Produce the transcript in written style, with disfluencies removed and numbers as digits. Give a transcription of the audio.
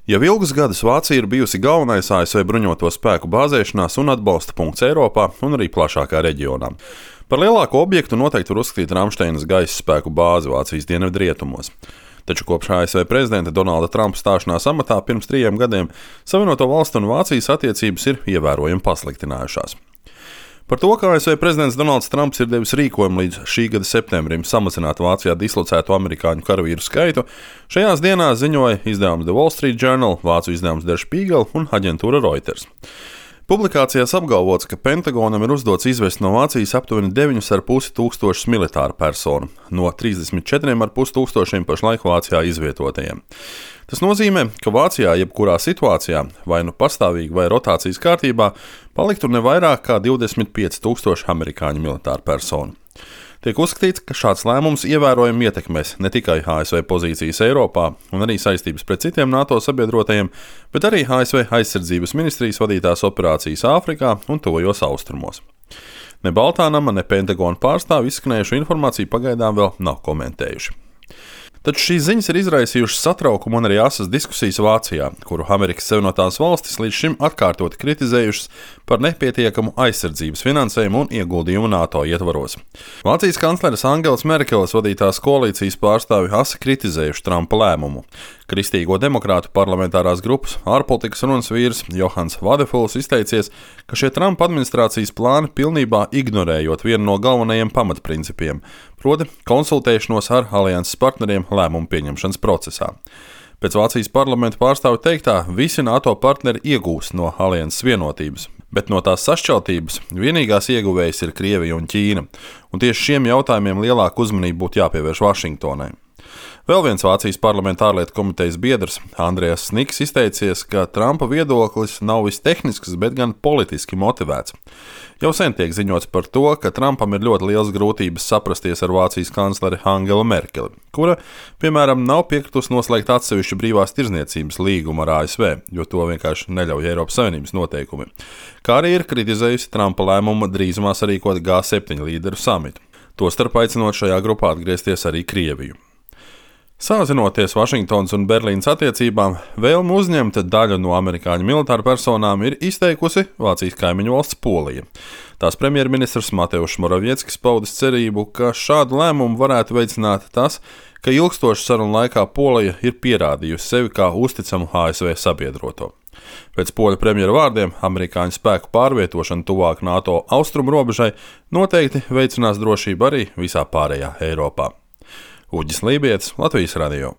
Jau ilgus gadus Vācija ir bijusi galvenais ASV bruņoto spēku bāzēšanās un atbalsta punkts Eiropā un arī plašākā reģionā. Par lielāko objektu noteikti var uzskatīt Ramšteinas gaisa spēku bāzi Vācijas dienvidrietumos. Taču kopš ASV prezidenta Donalda Trumpa stāšanās amatā pirms 3 gadiem Savienoto Valstu un Vācijas attiecības ir ievērojami pasliktinājušās. Par to, ka ASV prezidents Donalds Trumps ir devis rīkojumu līdz šī gada septembrim samazināt Vācijā dislocēto amerikāņu karavīru skaitu, šajās dienās ziņoja izdevums The Wall Street Journal, vācu izdevums Der Spiegel un aģentūra Reuters. Publikācijās apgalvots, ka Pentagonam ir uzdots izvest no Vācijas aptuveni 9,5 tūkstošus militāru personu no 34,5 tūkstošiem pašlaik Vācijā izvietotajiem. Tas nozīmē, ka Vācijā jebkurā situācijā, vai nu pastāvīgi vai rotācijas kārtībā, paliktu ne vairāk kā 25 tūkstoši amerikāņu militāru personu. Tiek uzskatīts, ka šāds lēmums ievērojami ietekmēs ne tikai ASV pozīcijas Eiropā un arī saistības pret citiem NATO sabiedrotajiem, bet arī ASV aizsardzības ministrijas vadītās operācijas Āfrikā un Tuvajos Austrumos. Ne Baltānama, ne Pentagona pārstāvi izskanējušu informāciju pagaidām vēl nav komentējuši. Taču šīs ziņas ir izraisījušas satraukumu un arī asas diskusijas Vācijā, kuru Amerikas Savienotās Valstis līdz šim atkārtoti kritizējušas par nepietiekamu aizsardzības finansējumu un ieguldījumu NATO ietvaros. Vācijas kancleres Angelas Merkeles vadītās koalīcijas pārstāvi asi kritizējuši Trumpa lēmumu. Kristīgo demokrātu parlamentārās grupas ārpolitikas runas vīrs Johans Vadefuls izteicies, ka šie Trumpa administrācijas plāni pilnībā ignorējot vienu no galvenajiem pamatprincipiem, proti konsultēšanos ar alianses partneriem lēmumu pieņemšanas procesā. Pēc Vācijas parlamenta pārstāvju teiktā, visi NATO partneri iegūst no alianses vienotības, bet no tās sašķeltības vienīgās ieguvējas ir Krievija un Ķīna, un tieši šiem jautājumiem lielāku uzmanību būtu jāpievērš Vašingtonai. Vēl viens Vācijas parlamenta ārlietu komitejas biedrs, Andrejas Sniks, izteicies, ka Trumpa viedoklis nav viss tehnisks, bet gan politiski motivēts. Jau sen tiek ziņots par to, ka Trumpam ir ļoti liels grūtības saprasties ar Vācijas kancleri Angelu Merkeli, kura, piemēram, nav piekritusi noslēgt atsevišķu brīvās tirdzniecības līgumu ar ASV, jo to vienkārši neļauj Eiropas Savienības noteikumi, kā arī ir kritizējusi Trumpa lēmumu drīzumā sarīkot G7 līderu samitu, tostarp aicinot šajā grupā atgriezties arī Krieviju. Sāzinoties Vašingtonas un Berlīnas attiecībām, vēlmu uzņemt daļu no amerikāņu militāru personām ir izteikusi Vācijas kaimiņu valsts Polija. Tās premjerministrs Mateušs Moravieckis paudis cerību, ka šādu lēmumu varētu veicināt tas, ka ilgstošu sarunu laikā Polija ir pierādījusi sevi kā uzticamu ASV sabiedroto. Pēc poļu premjera vārdiem, amerikāņu spēku pārvietošana tuvāk NATO austrumu robežai noteikti veicinās drošību arī visā pārējā Eiropā. Uģis Lībietis, Latvijas radio.